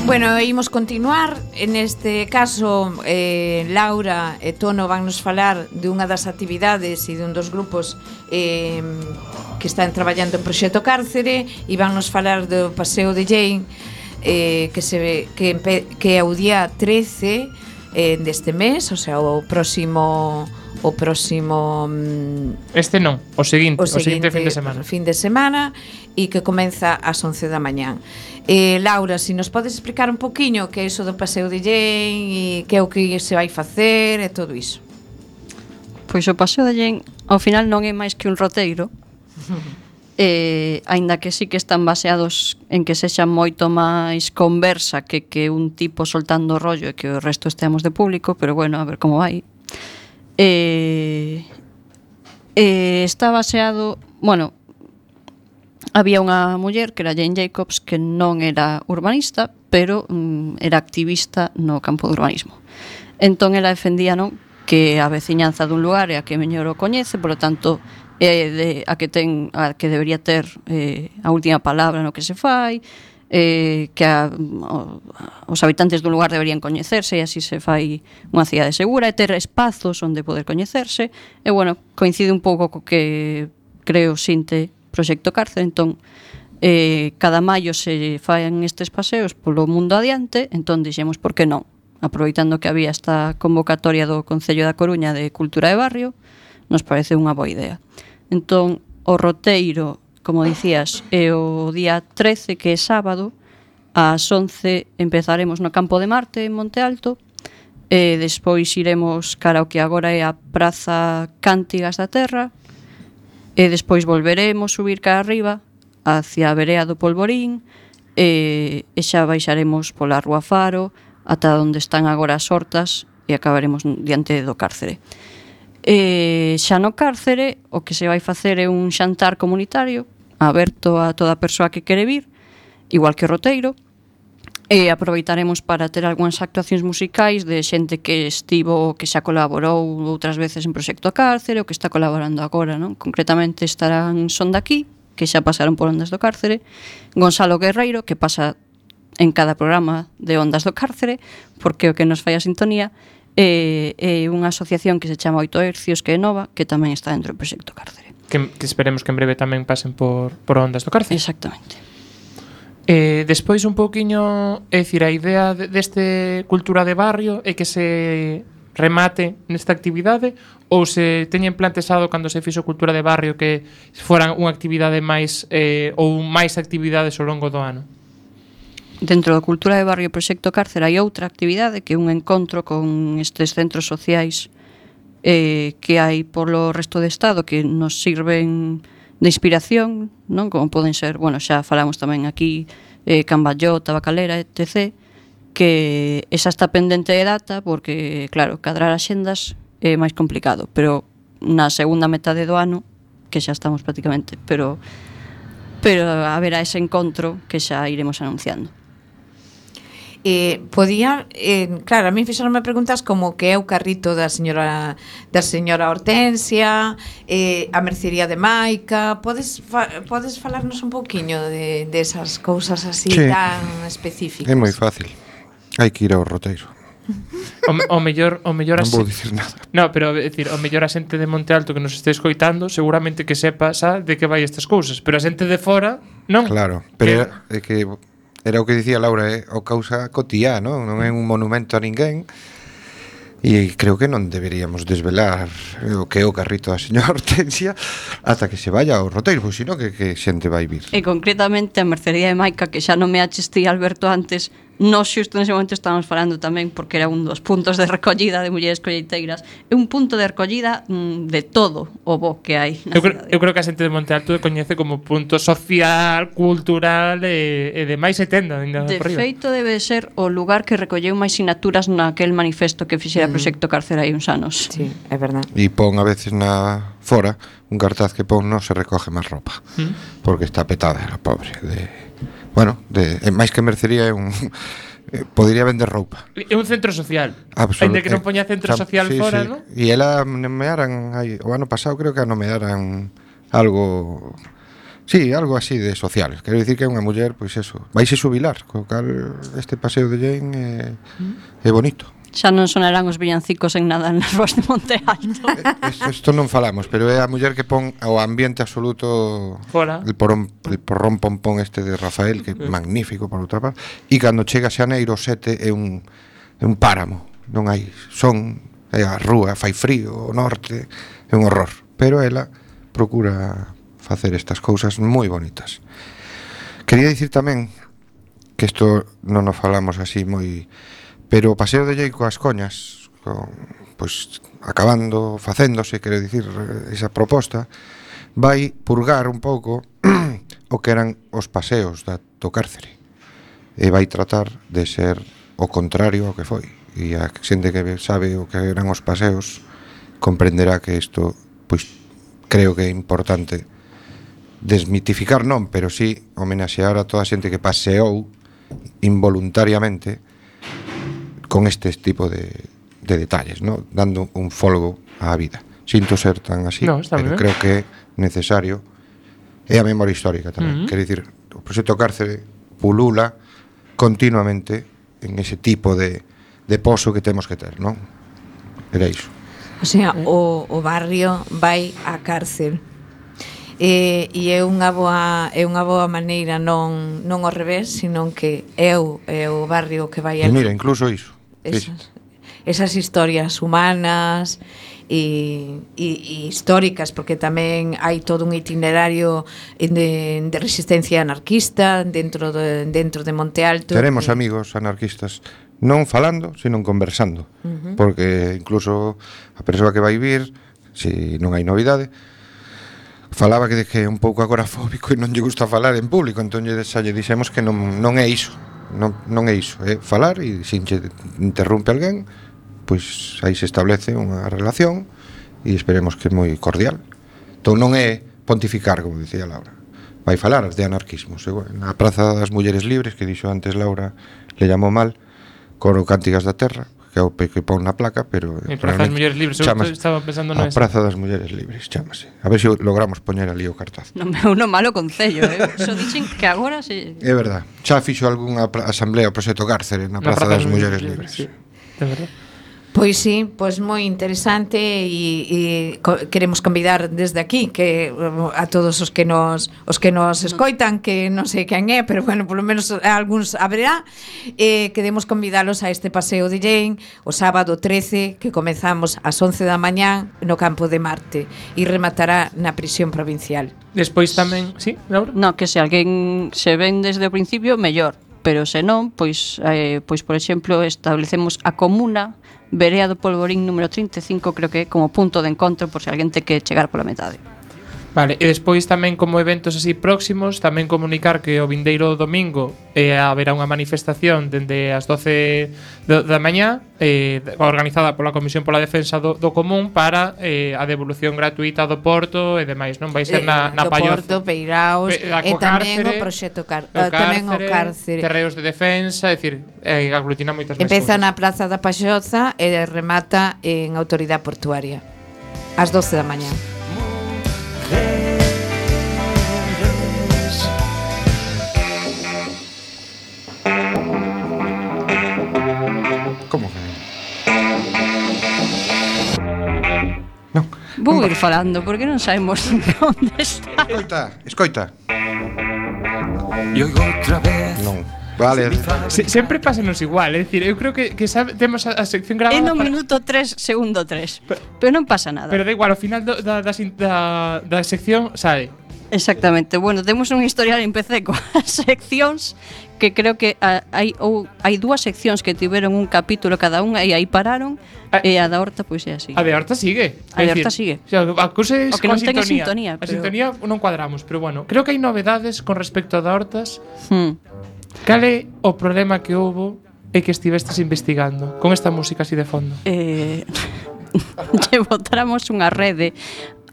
Bueno, imos continuar. En este caso, Laura e Tono van nos falar de unha das actividades e dun dos grupos que están traballando en Proxecto Cárcere e van nos falar do Paseo de Jane que é o día 13 deste mes, o sea, o próximo Este non, o seguinte fin de semana e que comeza ás 11 da mañán. Laura, si nos podes explicar un poquiño que é iso do Paseo de Jane e que é o que se vai facer e todo iso. Pois o Paseo de Jane ao final non é máis que un roteiro. Aínda que sí que están baseados en que sexa moito máis conversa que un tipo soltando o rollo e que o resto esteamos de público, pero bueno, a ver como vai. Está baseado, bueno, había unha muller que era Jane Jacobs que non era urbanista, pero era activista no campo do urbanismo. Entón ela defendía, non, que a veciñanza dun lugar é a que mellor o coñece, por lo tanto a que debería ter a última palabra no que se fai, que os habitantes dun lugar deberían coñecerse e así se fai unha cidade segura e ter espazos onde poder coñecerse. E bueno, coincide un pouco co que creo sinte Proxecto Cárcere. Entón cada maio se faen estes paseos polo mundo adiante, entón dixemos por que non, aproveitando que había esta convocatoria do Concello da Coruña de Cultura de Barrio, nos parece unha boa idea. Entón o roteiro, como dicías, é o día 13, que é sábado, ás 11 empezaremos no Campo de Marte, en Monte Alto, e despois iremos cara ao que agora é a Praza Cántigas da Terra, e despois volveremos subir cara arriba, hacia a Verea do Polvorín, e xa baixaremos pola Rúa Faro, ata onde están agora as hortas, e acabaremos diante do cárcere. Xa no cárcere o que se vai facer é un xantar comunitario aberto a toda persoa que quere vir, igual que o roteiro, e aproveitaremos para ter algunhas actuacións musicais de xente que estivo, que xa colaborou outras veces en Proxecto Cárcere ou que está colaborando agora, non? Concretamente estarán Son daqui, que xa pasaron por Ondas do Cárcere, Gonzalo Guerreiro, que pasa en cada programa de Ondas do Cárcere, porque o que nos fai a sintonía, e unha asociación que se chama 8 Hercios, que é nova, que tamén está dentro do Proxecto Cárcere. Que esperemos que en breve tamén pasen por Ondas do Cárcere. Exactamente. Despois un pouquiño, é dicir, a idea deste cultura de barrio é que se remate nesta actividade ou se teñen plantexado cando se fixo cultura de barrio que foran unha actividade máis ou máis actividades ao longo do ano? Dentro da cultura de barrio Proxecto Cárcere hai outra actividade que é un encontro con estes centros sociais que hai polo resto do Estado que nos sirven de inspiración, non? Como poden ser, bueno, xa falamos tamén aquí Camballó, Tabacalera, etc., que esa está pendente de data porque, claro, cadrar axendas é máis complicado, pero na segunda metade do ano, que xa estamos prácticamente, pero haberá ese encontro que xa iremos anunciando. Claro, a mí fixeronme preguntas como que é o carrito da señora Hortensia, a mercería de Maica. Podes falarnos un pouquiño de esas cousas así tan específicas? É moi fácil. Hai que ir ao roteiro. O mellor non vou dicir nada. No, pero decir, o mellor a xente de Monte Alto que nos este escoitando seguramente que sepa xa de que vai estas cousas, pero a xente de fora non. Claro, pero é que era o que dicía Laura, o causa cotiá, non é un monumento a ninguén. E creo que non deberíamos desvelar o que é o carrito da señora Hortensia ata que se vaya ao roteiro, pois sino que xente vai vir. E concretamente a mercería de Maica, que xa non me achestí Alberto antes, nós xusto nese momento estábamos falando tamén porque era un dos puntos de recollida de mulleres colleiteiras. É un punto de recollida de todo o bo que hai na cidade. Eu creo que a xente de Monte Alto coñece como punto social, cultural e demais e tenda. De feito debe ser o lugar que recolleu máis sinaturas naquel manifesto que fixera Proxecto Cárcere hai uns anos. Sí, é verdade. E pon a veces fora un cartaz que pon non se recoge máis roupa porque está petada a pobre máis que mercería é un podría vender roupa. É un centro social. Ainda que non poña centro social fora, non? E ela nomearan o ano pasado, creo que nomearan algo Sí, algo así de social. Quero dicir que é unha muller, pois eso, vaise xubilar, co cal este paseo de Jane é bonito. Xa non sonarán os villancicos en nada nas ruas de Monte Alto. Isto non falamos, pero é a muller que pon ao ambiente absoluto Fora. el porrón pompón este de Rafael, que é magnífico por outra parte, e cando chega Xaneiro 7 é un páramo, non hai son, é a rúa, fai frío, o norte, é un horror, pero ela procura facer estas cousas moi bonitas. Quería dicir tamén que isto non nos falamos así moi, pero o paseo de Llei coas coñas, pois acabando, facéndose, quero dicir, esa proposta, vai purgar un pouco o que eran os paseos do cárcere. E vai tratar de ser o contrario ao que foi. E a xente que sabe o que eran os paseos comprenderá que isto, pois, creo que é importante desmitificar non, pero sí homenaxear a toda a xente que paseou involuntariamente con este tipo de detalles, ¿no? Dando un folgo á vida. Sinto ser tan así, No, pero bien. creo que é necesario. É a memoria histórica tamén. Quero dicir, o proxecto Cárcere pulula continuamente en ese tipo de pozo que temos que ter, non? Era iso. O sea, o barrio vai á cárcel. E é unha boa maneira non ao revés, sino que é o barrio que vai E mira, incluso iso. esas historias humanas e históricas, porque tamén hai todo un itinerario de resistencia anarquista dentro de Monte Alto. Teremos amigos anarquistas non falando, sino conversando, porque incluso a persoa que vai vir, se non hai novidade, falaba que é un pouco agorafóbico e non lle gusta falar en público, entón xa lle dixemos que non é iso. Non é iso, é falar e se interrompe alguén, pois aí se establece unha relación e esperemos que é moi cordial. Entón non é pontificar, como dicía Laura, vai falar de anarquismo. Na Praza das Mulleres Libres, que dixo antes Laura, le llamou mal, coro Cántigas da Terra, que é o que pon na placa, pero Praza das Mulleres Libres, estaba pensando a Praza das Mulleres Libres, chámase. A ver se logramos poñer ali o cartaz. Non é un malo concello, Só dixen que agora se... É verdad, xa fixo algunha asamblea o proxecto Cárcere na Praza das Mulleres Libres. Sí, de verdad. Pois sí, pois moi interesante e queremos convidar desde aquí que a todos os que nos escoitan, que non sei quen é, pero bueno, polo menos algúns haberá, queremos convidalos a este paseo de Jane o sábado 13, que comezamos ás 11 da mañá no Campo de Marte e rematará na prisión provincial. Despois tamén, sí, Laura? No, que se alguén se ven desde o principio, mellor, pero se non, pois por exemplo, establecemos a comuna Verea do Polvorín número 35, creo que é como punto de encontro por se alguén te que chegar pola metade. Vale, e despois tamén como eventos así próximos, tamén comunicar que o vindeiro domingo haberá unha manifestación dende as 12 da mañá organizada pola Comisión pola Defensa do Común para a devolución gratuita do Porto e demais, non? Vai ser na Palloza. Do Porto, Peiraos, e tamén o proxecto tamén o Cárcere. Terreos de defensa, é dicir, aglutina moitas máis Empeza cousas. na Praza da Palloza e remata en Autoridade Portuaria ás 12 da mañá. Como que? Non. Vou ir falando, porque non sabemos onde está. Escoita. Y oigo otra vez. Non. Vale. Sempre pásanos igual, é dicir, eu creo que temos a sección grabada É no minuto 3, segundo 3. Pero non pasa nada. Pero da igual, ao final da sección sae. Exactamente. Bueno, temos un historial en PC coas seccións que creo que hai dúas seccións que tiveron un capítulo cada unha e aí pararon e a da Horta pois é así. A de Horta sigue. A de Horta sigue. O sea, a cousa é O que non ten sintonía. A sintonía non cuadramos, pero bueno, creo que hai novedades con respecto a da Hortas. Cal é o problema que houbo e que estivestes investigando con esta música así de fondo? Lle botáramos unha rede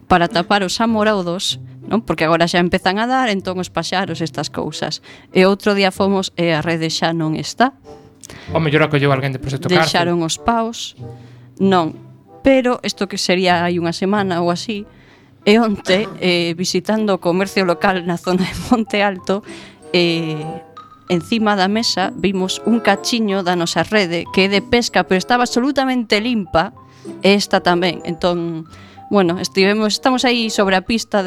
para tapar os amoraudos, non? Porque agora xa empezan a dar, entón os paxaros, estas cousas. E outro día fomos e a rede xa non está. O mellor acolleu alguén de Proxecto Cárcel. Deixaron os paus. Non, pero isto que sería hai unha semana ou así, E onte, visitando o comercio local na zona de Monte Alto, encima da mesa vimos un cachiño da nosa rede que é de pesca, pero estaba absolutamente limpa, e esta tamén. Entón, bueno, estamos aí sobre a pista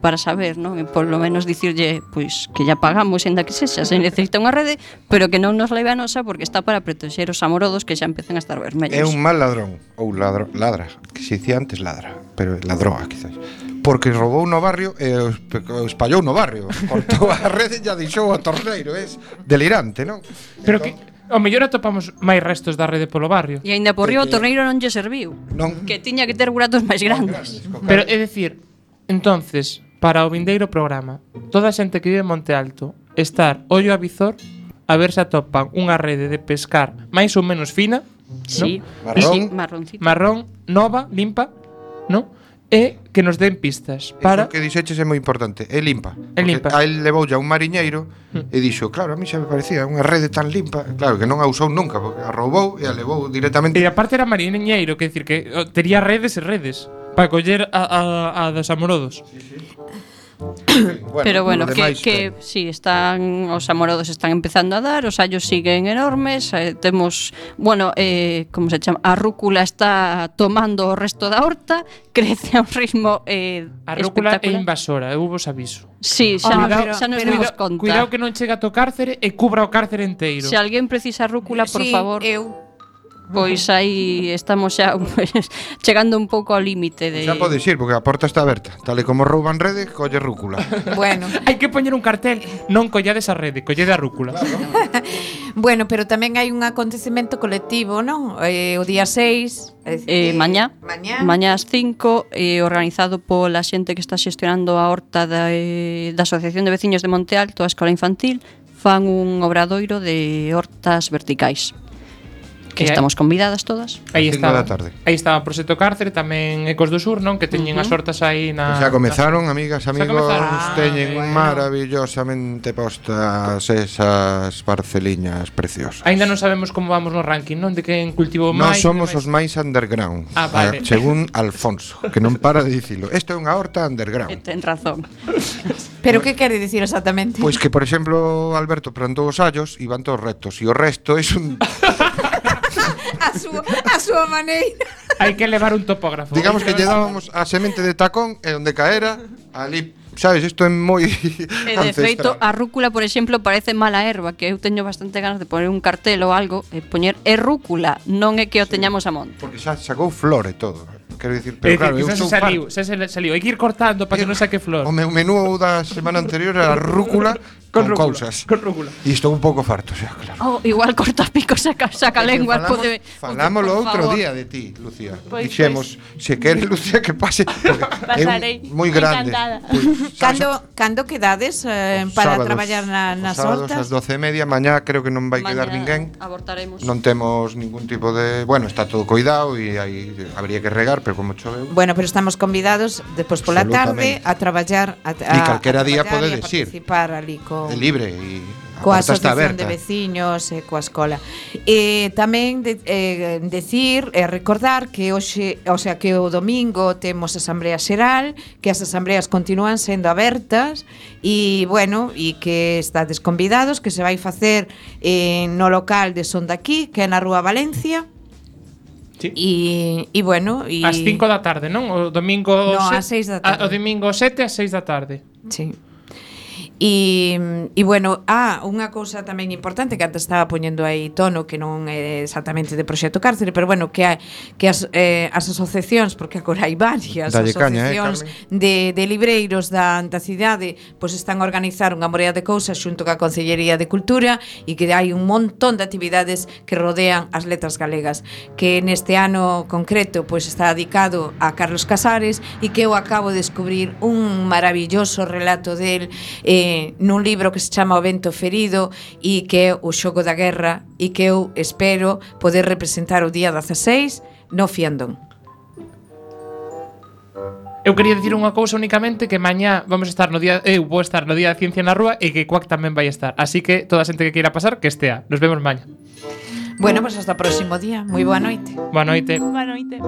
para saber, non? E por lo menos dicirlle, pois, que ya pagamos, ainda que sexa, se necesita unha rede, pero que non nos leve a nosa porque está para protexer os amorodos que xa empezan a estar vermellos. É un mal ladrón, ou ladra, que se dicía antes ladra, pero ladroa, quizás. Porque roubou no barrio e o espallou no barrio. Cortou a rede e ya deixou o torneiro. É delirante, non? Pero que ao mellor atopamos máis restos da rede polo barrio. E aínda por río o torneiro non lle serviu. Non. Que tiña que ter buratos máis grandes. Pero é dicir, entonces, para o vindeiro programa, toda a xente que vive en Monte Alto, estar ollo a visor a ver se atopan unha rede de pescar máis ou menos fina, Sí, Marrón. marroncito. marrón, nova, limpa, non? E que nos den pistas para Iso que dixeches é moi importante. É limpa. É limpa. A él levoulle a un mariñeiro e dixo, claro, a mí xa me parecía unha rede tan limpa. Claro, que non a usou nunca, porque a roubou e a levou directamente. E aparte era mariñeiro, que decir que tería redes e redes para coller a dos amorodos. Pero bueno, lo demais, que sí, os amorodos están empezando a dar, os hallos siguen enormes, temos, bueno, como se chama, a rúcula está tomando o resto da horta, crece a un ritmo A rúcula é espectacular. invasora, eu vos aviso. Sí, xa, xa nos dimos conta. Cuidado que non chega a to cárcere e cubra o cárcere enteiro. Se alguén precisa rúcula, por Sí, favor, eu. pois aí estamos xa pues, chegando un pouco ao límite de... Xa podes ir, porque a porta está aberta. Tal e como rouban rede, colle rúcula. Bueno, Hai que poñer un cartel, non collades a rede, collede a rúcula. bueno, pero tamén hai un acontecemento colectivo, non? O día 6, Mañá Mañá ás 5, organizado pola xente que está xestionando a horta da Asociación de Veciños de Monte Alto, a Escola Infantil, fan un obradoiro de hortas verticais. Que estamos convidadas todas. Aí Cinco estaba, da tarde. aí estaba Proxecto Cárcere, tamén Ecos do Sur, non? Que teñen as hortas aí na... Xa comezaron, amigas, amigos, comezaron. teñen bueno. maravillosamente postas esas parceliñas preciosas. Aínda non sabemos como vamos no ranking, non? De quen cultivou Nós máis. somos e os máis underground, Ah, vale. según Alfonso, que non para de dicilo. Isto é unha horta underground. Ten razón. Pero que quere dicir exactamente? Pois que, por exemplo, Alberto plantou os hallos e van todos rectos, e o resto é un... a súa maneira. Hai que levar un topógrafo. Digamos que lle dábamos a semente de tacón e onde caera, ali, sabes, isto é moi E de feito, a rúcula, por exemplo, parece mala erva, que eu teño bastante ganas de poner un cartel ou algo e poñer é rúcula, non é que o teñamos a monte. Porque xa sacou flor e todo. Quero dicir, Pero pero claro, eu xa sou se saliu, xa se saliu. Hai que ir cortando para que non saque flor. O meu menú da semana anterior era rúcula con rúcula, cousas. con rúcula. E estou un pouco farto, xa, claro. Oh, igual corta pico, saca lengua, pode... Falámoslo por outro favor. día de ti, Lucía. Pois, Dixemos, se quere Lucía que pase, porque Pasarei, é moi grande. encantada. Cando quedades para traballar nas sábados hortas? ás 12:30, mañá creo que non vai quedar Mañá ninguén. abortaremos. Non temos ningún tipo de, bueno, está todo cuidado e aí habría que regar, pero como choveu. Bueno, pero estamos convidados despois pola tarde Absolutamente. a traballar E calquera día traballar e a podedes ir. participar ali É libre e a coa porta está asociación aberta. de veciños e coa escola. E tamén decir e recordar que hoxe, o sea, que o domingo temos asamblea xeral, que as asambleas continúan sendo abertas e bueno, e que estades convidados, que se vai facer no local de Son daqui, que é na Rúa Valencia. Sí. E bueno, e Ás 5 da tarde, non? O domingo... No, ás 6 da tarde. O domingo 7 ás 6 da tarde. Sí. E bueno, unha cousa tamén importante que antes estaba poñendo aí tono, que non é exactamente de Proxecto Cárcere, pero bueno, que as asociacións, porque agora hai varias Dalle asociacións caña, de libreiros da cidade, pois están a organizar unha morea de cousas xunto ca Consellería de Cultura e que hai un montón de actividades que rodean as letras galegas, que neste ano concreto pois está dedicado a Carlos Casares e que eu acabo de descubrir un maravilloso relato del nun libro que se chama O vento ferido e que é o xogo da guerra e que eu espero poder representar o día 16 no Fiandón. Eu quería dicir unha cousa únicamente, que mañá vamos a estar no día, eu vou estar no día de Ciencia na Rúa e que Cuac tamén vai estar. Así que toda a xente que queira pasar, que estea. Nos vemos mañá. Bueno, pois hasta o próximo día. Moi boa noite. Boa noite. Boa noite.